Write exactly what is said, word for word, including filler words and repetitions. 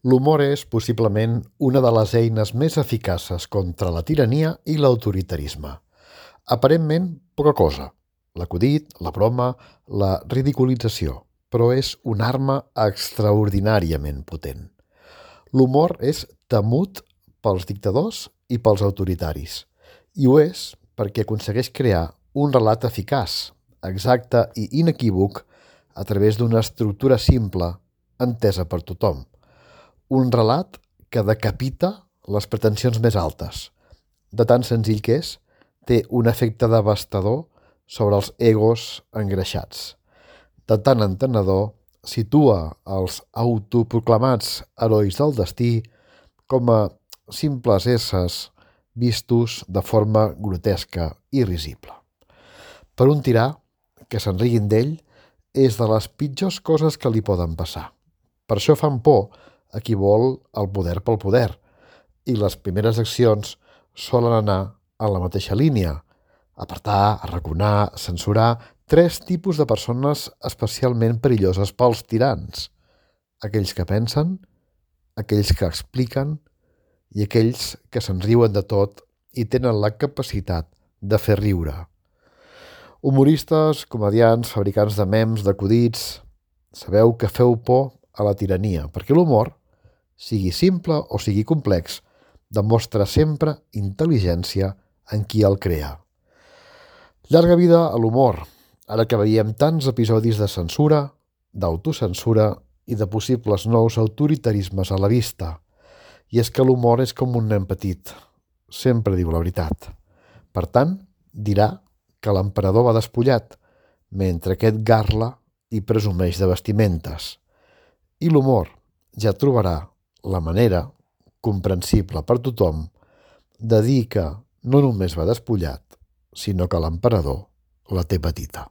L'humor és, possiblement, una de les eines més eficaces contra la tirania i l'autoritarisme. Aparentment, poca cosa. L'acudit, la broma, la ridiculització, però és una arma extraordinàriament potent. L'humor és temut pels dictadors i pels autoritaris, i ho és perquè aconsegueix crear un relat eficaç, exacte i inequívoc a través d'una estructura simple, entesa per tothom. Un relat que decapita les pretensions més altes. De tan senzill que és, té un efecte devastador sobre els egos engreixats. De tan entenedor, situa els autoproclamats herois del destí com a simples éssers vistos de forma grotesca i risible. Per un tirà, que se'n riguin d'ell, és de les pitjors coses que li poden passar. Per això fan por a qui vol el poder pel poder, i les primeres accions solen anar en la mateixa línia: apartar, arraconar, censurar tres tipus de persones especialment perilloses pels tirans: aquells que pensen, aquells que expliquen i aquells que se'n riuen de tot i tenen la capacitat de fer riure. Humoristes, comediants, fabricants de mems, d'acudits, sabeu que feu por a la tirania, perquè l'humor, sigui simple o sigui complex, demostra sempre intel·ligència en qui el crea. Llarga vida a l'humor, ara que veiem tants episodis de censura, d'autocensura i de possibles nous autoritarismes a la vista. I és que l'humor és com un nen petit, sempre diu la veritat. Per tant, dirà que l'emperador va despullat, mentre aquest garla i presumeix de vestimentes. I l'humor ja trobarà la manera, comprensible per tothom, de dir que no només va despullat, sinó que l'emperador la té petita.